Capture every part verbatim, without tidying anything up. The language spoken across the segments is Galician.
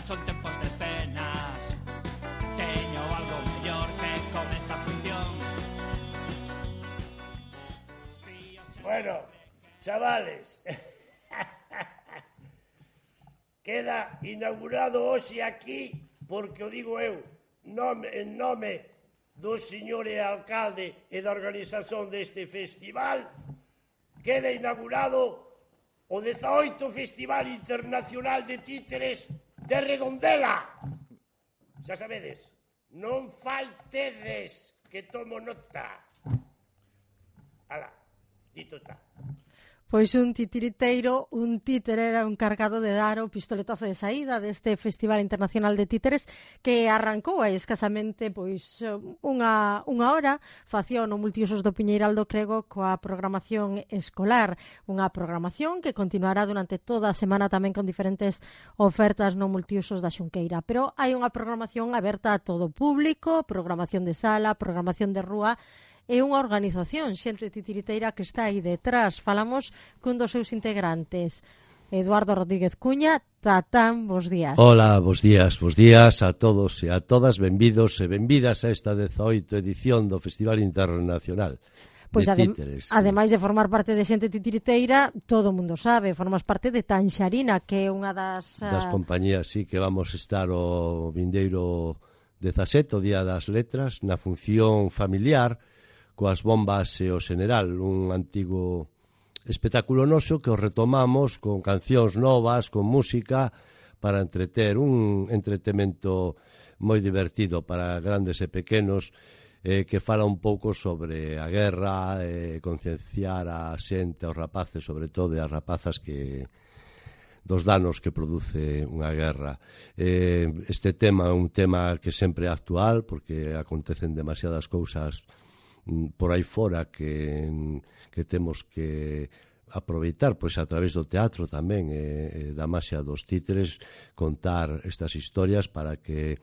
son tempos de penas. Teño algo mellor que comeza a función. Bueno, chavales, queda inaugurado hoxe aquí, porque o digo eu, nome, en nome do señor alcalde e da organización deste festival, queda inaugurado o dezaoito Festival Internacional de Títeres de Redondela. Xa sabedes, non faltedes, que tomo nota. Ala, dito está. Pois un titiriteiro, un títere era un cargado de dar o pistoletazo de saída deste Festival Internacional de Títeres que arrancou aí escasamente pois unha, unha hora, facía no Multiusos do Piñeiral do Crego coa programación escolar, unha programación que continuará durante toda a semana tamén con diferentes ofertas no Multiusos da Xunqueira, pero hai unha programación aberta a todo público, programación de sala, programación de rúa, é unha organización, xente titiriteira que está aí detrás. Falamos cun dos seus integrantes, Eduardo Rodríguez Cuña. Tatán, bos días. Hola, bos días, bos días a todos e a todas, benvidos e benvidas a esta dezaoito edición do Festival Internacional Pois de adem Títeres. Ademais de formar parte de xente titiriteira, todo o mundo sabe, formas parte de Tanxarina, que é unha das... Das compañías, sí, que vamos estar o vindeiro dezasete, o Día das Letras, na función familiar, coas bombas e o xeneral, un antigo espectáculo noso que o retomamos con cancións novas, con música, para entreter, un entretemento moi divertido para grandes e pequenos, eh, que fala un pouco sobre a guerra, eh, concienciar a xente, aos rapaces, sobre todo, e as rapazas que dos danos que produce unha guerra. Eh, este tema é un tema que sempre é actual, porque acontecen demasiadas cousas por aí fora que, que temos que aproveitar pois a través do teatro tamén e, e da maxia dos títeres, contar estas historias para que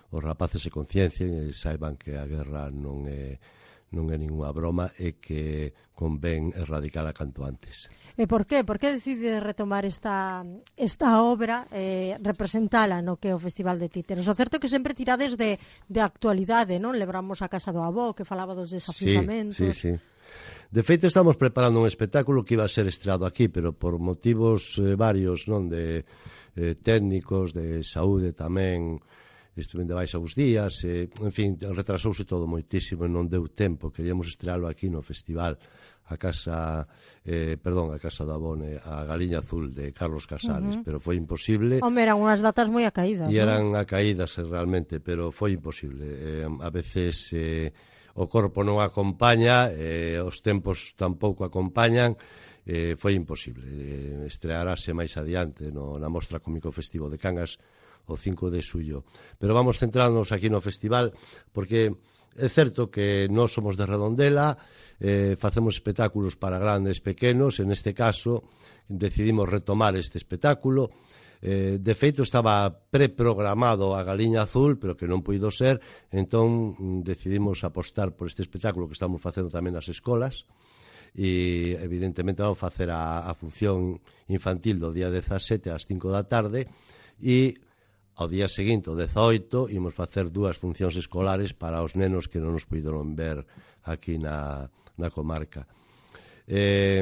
os rapaces se conciencien e saiban que a guerra non é non é ninguna broma e que convén erradicala canto antes. E por qué? Por que decide retomar esta, esta obra, eh, representala no que é o Festival de Títeres? O certo é que sempre tirades de, de actualidade, non? Lebramos a Casa do Avó, que falaba dos desafiuzamentos. Sí, sí, sí. De feito, estamos preparando un espectáculo que iba a ser estreado aquí, pero por motivos eh, varios, non, de eh, técnicos, de saúde tamén, estuve de baixa uns días, e, en fin, retrasouse todo moitísimo e non deu tempo. Queríamos estrealo aquí no festival, a casa, eh, perdón, a Casa da Bone, a Galiña Azul de Carlos Casares, uh -huh. pero foi imposible. Home, eran unhas datas moi acaídas, E eran ¿no? acaídas realmente, pero foi imposible. Eh, a veces eh, o corpo non acompaña, eh, os tempos tampouco acompañan, eh, foi imposible. Eh, estrearase máis adiante no, na Mostra Cómico Festivo de Cangas o cinco de xullo. Pero vamos centrarnos aquí no festival, porque é certo que nós somos de Redondela, eh, facemos espectáculos para grandes, pequenos, en este caso decidimos retomar este espectáculo. Eh, de feito estaba preprogramado a Galiña Azul, pero que non puido ser, entón decidimos apostar por este espectáculo que estamos facendo tamén nas escolas, e evidentemente vamos facer a, a función infantil do día dezasete ás cinco da tarde, e ao día seguinte, o dezaoito, imos facer dúas funcións escolares para os nenos que non nos puideron ver aquí na, na comarca. Eh,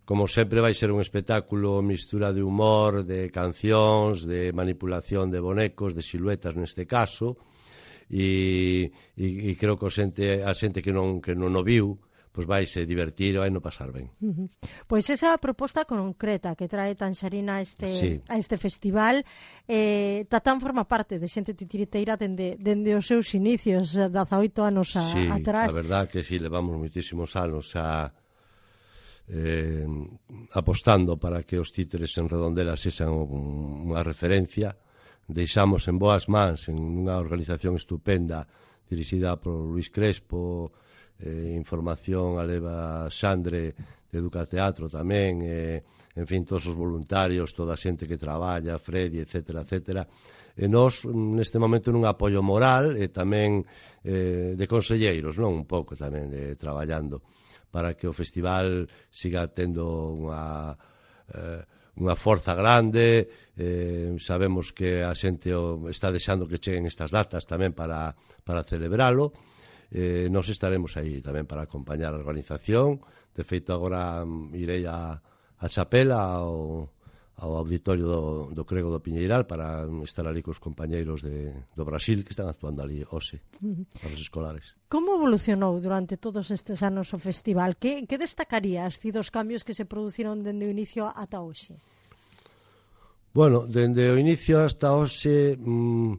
como sempre vai ser un espectáculo mistura de humor, de cancións, de manipulación de bonecos, de siluetas neste caso, e, e, e creo que a xente, a xente que non, que non o viu, pois vai se divertir, vai no pasar ben. Uh -huh. Pois esa é a proposta concreta que trae Tanxarina a este, sí. a este festival. Eh, Tatán forma parte de xente titiriteira dende, dende os seus inicios, dezaoito anos a, sí, atrás. Sí, a verdad que sí, levamos moitísimos anos a, eh, apostando para que os títeres en Redondela sexan unha referencia. Deixamos en boas mans en unha organización estupenda dirixida por Luis Crespo, eh, información a leva Xandre de Educateatro tamén, eh, en fin, todos os voluntarios, toda a xente que traballa, Freddy, etcétera, etcétera. E nós, neste momento, nun apoio moral e tamén eh, de conselleiros, non? Un pouco tamén de traballando para que o festival siga tendo unha, eh, unha forza grande, eh, sabemos que a xente o, está deixando que cheguen estas datas tamén para, para celebralo. Eh, nos estaremos aí tamén para acompañar a organización. De feito, agora um, irei a, a Chapela ao, ao auditorio do, do Crego do Piñeiral para estar ali cos compañeiros de, do Brasil que están actuando ali hoxe, uh-huh. para os escolares. Como evolucionou durante todos estes anos o festival? Que, que destacarías ti dos cambios que se produciron dende o inicio ata hoxe? Bueno, dende o inicio hasta hoxe, mm,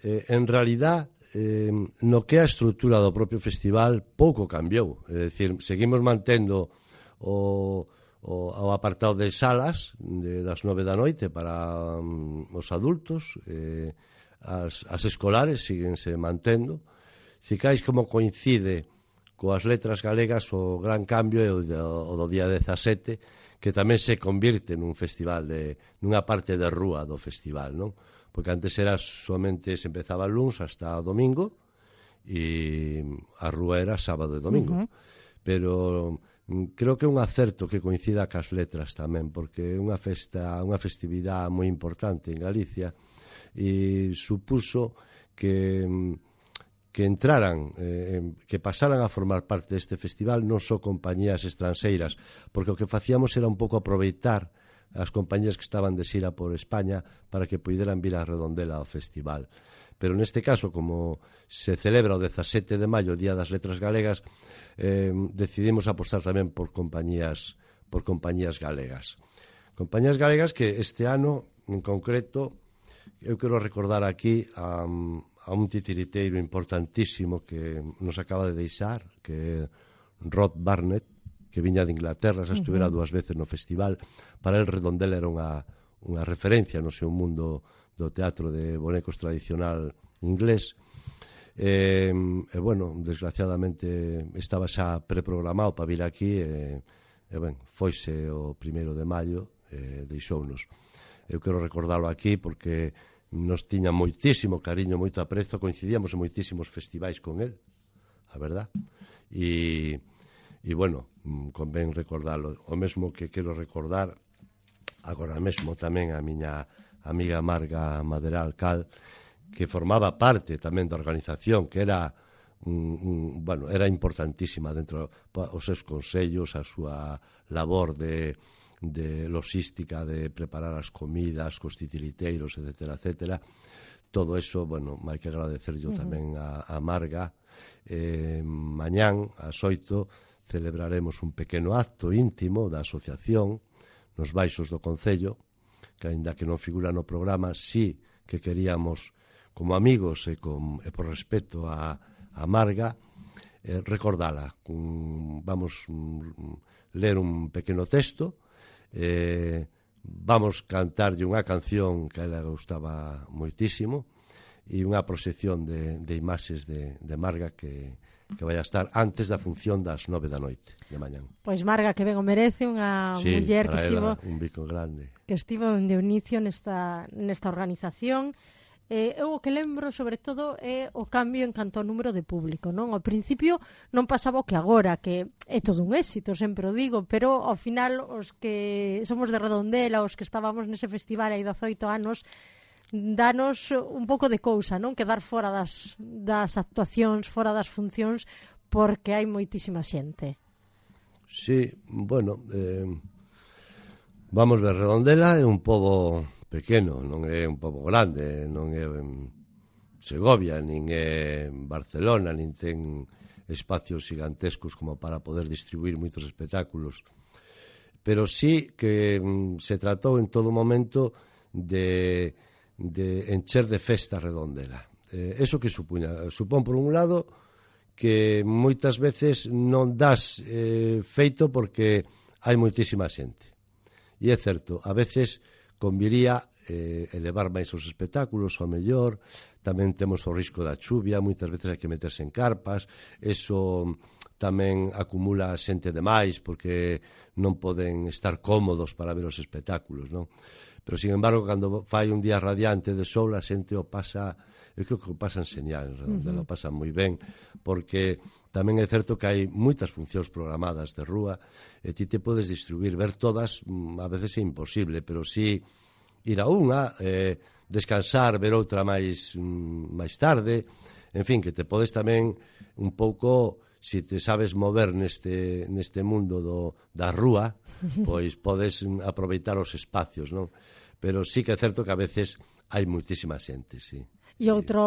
eh, en realidad, eh, no que a estrutura do propio festival pouco cambiou. É dicir, seguimos mantendo o, o, o apartado de salas de, das nove da noite para um, os adultos, eh, as, as escolares síguense mantendo. Cicais como coincide coas letras galegas, o gran cambio é o, o do día dezasete, que tamén se convirte nun festival de, nunha parte de rúa do festival, non? Porque antes era somente, se empezaba el luns hasta o domingo e a rúa era sábado e domingo. Uh-huh. Pero creo que é un acerto que coincida cas letras tamén, porque é unha festa, unha festividade moi importante en Galicia e supuso que que entraran, eh, que pasaran a formar parte deste festival non só compañías estranxeiras, porque o que facíamos era un pouco aproveitar as compañías que estaban de xira por España para que puderan vir a Redondela ao festival. Pero neste caso, como se celebra o dezasete de maio, o Día das Letras Galegas, eh, decidimos apostar tamén por compañías, por compañías galegas. Compañías galegas que este ano, en concreto, eu quero recordar aquí a, a un titiriteiro importantísimo que nos acaba de deixar, que é Rod Barnett, que viña de Inglaterra, xa estuvera uh-huh. dúas veces no festival. Para el Redondela era unha, unha referencia no seu mundo do teatro de bonecos tradicional inglés. E, e bueno, desgraciadamente estaba xa preprogramado para vir aquí e, e ben, foise o primeiro de maio e deixounos. Eu quero recordarlo aquí porque nos tiña moitísimo cariño, moito aprezo, coincidíamos en moitísimos festivais con el, a verdad. E E, bueno, convén recordarlo. O mesmo que quero recordar agora mesmo tamén a miña amiga Marga Maderal Cal, que formaba parte tamén da organización, que era un, un, bueno, era importantísima dentro os seus consellos, a súa labor de, de logística, de preparar as comidas, cos titiriteiros, etcétera, etcétera. Todo eso, bueno, hai que agradecer yo uh-huh. tamén a, a Marga. Eh, mañán, ás oito, celebraremos un pequeno acto íntimo da asociación nos baixos do Concello, que aínda que non figura no programa, sí que queríamos, como amigos e, con, e por respeto a, a Marga, eh, recordala. Un, vamos um, ler un pequeno texto, eh, vamos cantarlle unha canción que a ela gustaba moitísimo e unha proxección de, de imaxes de, de Marga que que vai a estar antes da función das nove da noite de mañán. Pois Marga, que ben o merece, unha sí, muller que estivo un bico grande. Que estivo de inicio nesta nesta organización. Eh, eu o que lembro sobre todo é o cambio en canto ao número de público, non? Ao principio non pasaba o que agora, que é todo un éxito, sempre o digo, pero ao final os que somos de Redondela, os que estábamos nese festival hai dezoito anos, danos un pouco de cousa, non? Quedar fora das, das actuacións, fora das funcións, porque hai moitísima xente. Sí, bueno, eh, vamos ver, Redondela é un pobo pequeno, non é un pobo grande, non é en Segovia, nin é en Barcelona, nin ten espacios gigantescos como para poder distribuir moitos espectáculos. Pero sí que mm, se tratou en todo momento de de encher de festa Redondela. Eh, eso que supuña? Supón, por un lado, que moitas veces non das eh, feito porque hai moitísima xente. E é certo, a veces conviría eh, elevar máis os espectáculos, ao mellor, tamén temos o risco da chuvia, moitas veces hai que meterse en carpas, eso tamén acumula xente de máis porque non poden estar cómodos para ver os espectáculos, non? pero sin embargo, cando fai un día radiante de sol, a xente o pasa, eu creo que o pasan señal en Redondela, uh -huh. o pasan moi ben, porque tamén é certo que hai moitas funcións programadas de rúa, e ti te podes distribuir, ver todas, a veces é imposible, pero si ir a unha, eh, descansar, ver outra máis, máis tarde, en fin, que te podes tamén un pouco, se te sabes mover neste, neste mundo do, da rúa, pois podes aproveitar os espacios, non? Pero sí que é certo que a veces hai moitísima xente, sí. E outro,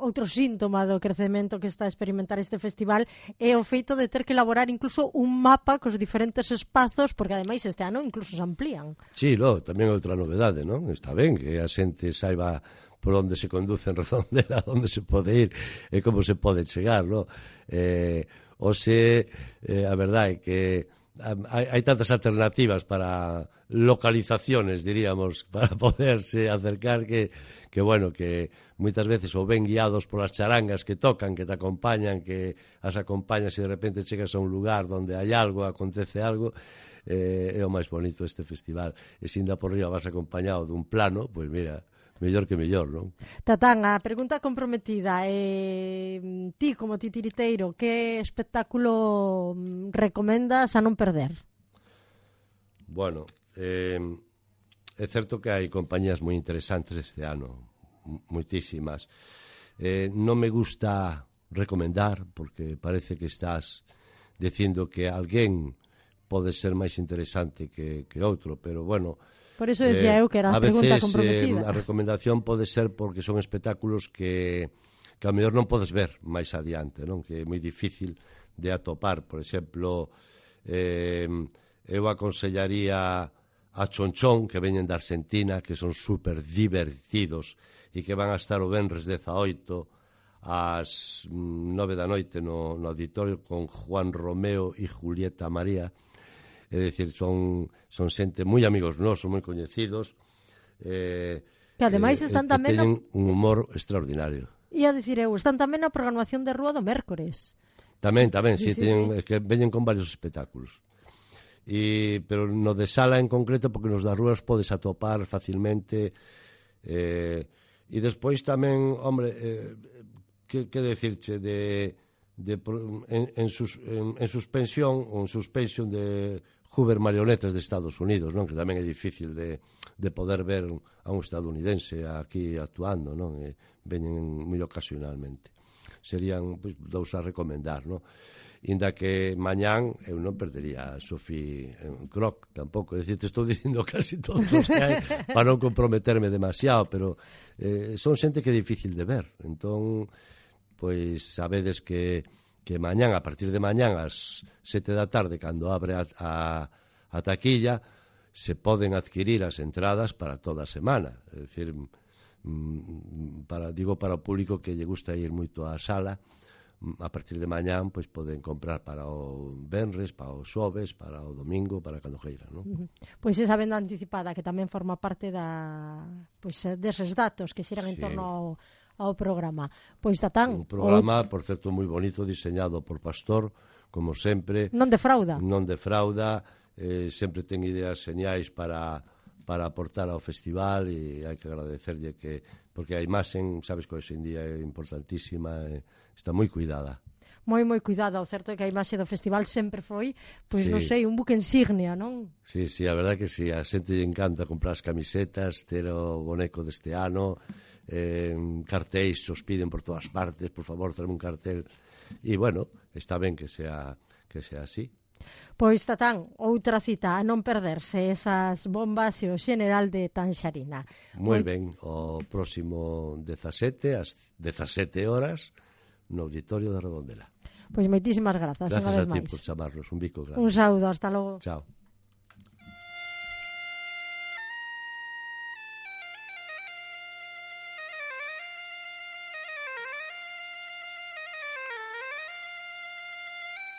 outro síntoma do crecemento que está a experimentar este festival é o feito de ter que elaborar incluso un mapa cos diferentes espazos, porque ademais este ano incluso se amplían. Sí, lo, tamén outra novedade, non? Está ben que a xente saiba por onde se conduce en Redondela, onde se pode ir e como se pode chegar, non? Eh, ou se, eh, a verdade é que hai, hai tantas alternativas para localizaciones, diríamos, para poderse acercar que, que bueno, que moitas veces ou ben guiados polas charangas que tocan, que te acompañan, que as acompañas e de repente chegas a un lugar onde hai algo, acontece algo, eh, é o máis bonito este festival. E se ainda por riba vas acompañado dun plano, pois mira, mellor que mellor, non? Tatán, a pregunta comprometida, eh, ti como titiriteiro, que espectáculo recomendas a non perder? Bueno, eh, é certo que hai compañías moi interesantes este ano, moitísimas. Eh, non me gusta recomendar, porque parece que estás dicindo que alguén pode ser máis interesante que, que outro, pero bueno... Por eso decía eh, eu que era a, a pregunta veces, comprometida. Eh, a recomendación pode ser porque son espectáculos que, que a mellor non podes ver máis adiante, non? Que é moi difícil de atopar. Por exemplo, eh, eu aconsellaría a Chonchón, que veñen da Argentina, que son super divertidos e que van a estar o venres dezaoito ás nove da noite no, no auditorio con Juan Romeo e Julieta María. É dicir, son, son xente moi amigos nosos, moi coñecidos, eh, que ademais eh, están que tamén teñen no... un humor extraordinario. Ia dicir eu, están tamén na programación de rúa do mércores. Tamén, tamén, sí, sí, sí, teñen, sí. que veñen con varios espectáculos. E, pero no de sala en concreto, porque nos das rúas podes atopar facilmente, eh, e despois tamén, hombre, eh, que, que decirche, de, de, en, en, sus, en, en suspensión, ou en suspensión de Hoover Marionetas de Estados Unidos, non? Que tamén é difícil de, de poder ver a un estadounidense aquí actuando, non? E veñen moi ocasionalmente. Serían, pois, dous a recomendar, non? Inda que mañán eu non perdería a Sofía Croc tampouco, é dicir, te estou dicindo casi todos os que hai para non comprometerme demasiado, pero eh, son xente que é difícil de ver, entón pois sabedes que que mañán, a partir de mañán ás sete da tarde, cando abre a, a, a taquilla, se poden adquirir as entradas para toda a semana, é dicir, para, digo para o público que lle gusta ir moito á sala, a partir de mañán pois poden comprar para o venres, para o xoves, para o domingo, para cando queira, non? Uh-huh. Pois esa venda anticipada que tamén forma parte da, pois deses datos que xeran sí. en torno ao, ao programa. Pois Tatán, un programa, o... por certo, moi bonito, diseñado por Pastor, como sempre. Non defrauda. Non defrauda, eh, sempre ten ideas señais para para aportar ao festival e hai que agradecerlle que, porque a imaxe, sabes que hoxe en día é importantísima, e está moi cuidada. Moi, moi cuidada, o certo é que a imaxe do festival sempre foi, pois sí. non sei, un buque insignia, non? Sí, sí, a verdade que sí, a xente lle encanta comprar as camisetas, ter o boneco deste ano, eh, cartéis os piden por todas partes, por favor, traeme un cartel, e bueno, está ben que sea, que sea así. Pois, Tatán, outra cita a non perderse esas bombas e o xeneral de Tanxarina. Moi ben, o próximo dezasete, ás dezasete horas, no auditorio de Redondela. Pois moitísimas grazas. Grazas unha vez a ti máis. por chamarnos, un bico grande. Un saúdo, hasta logo. Chao.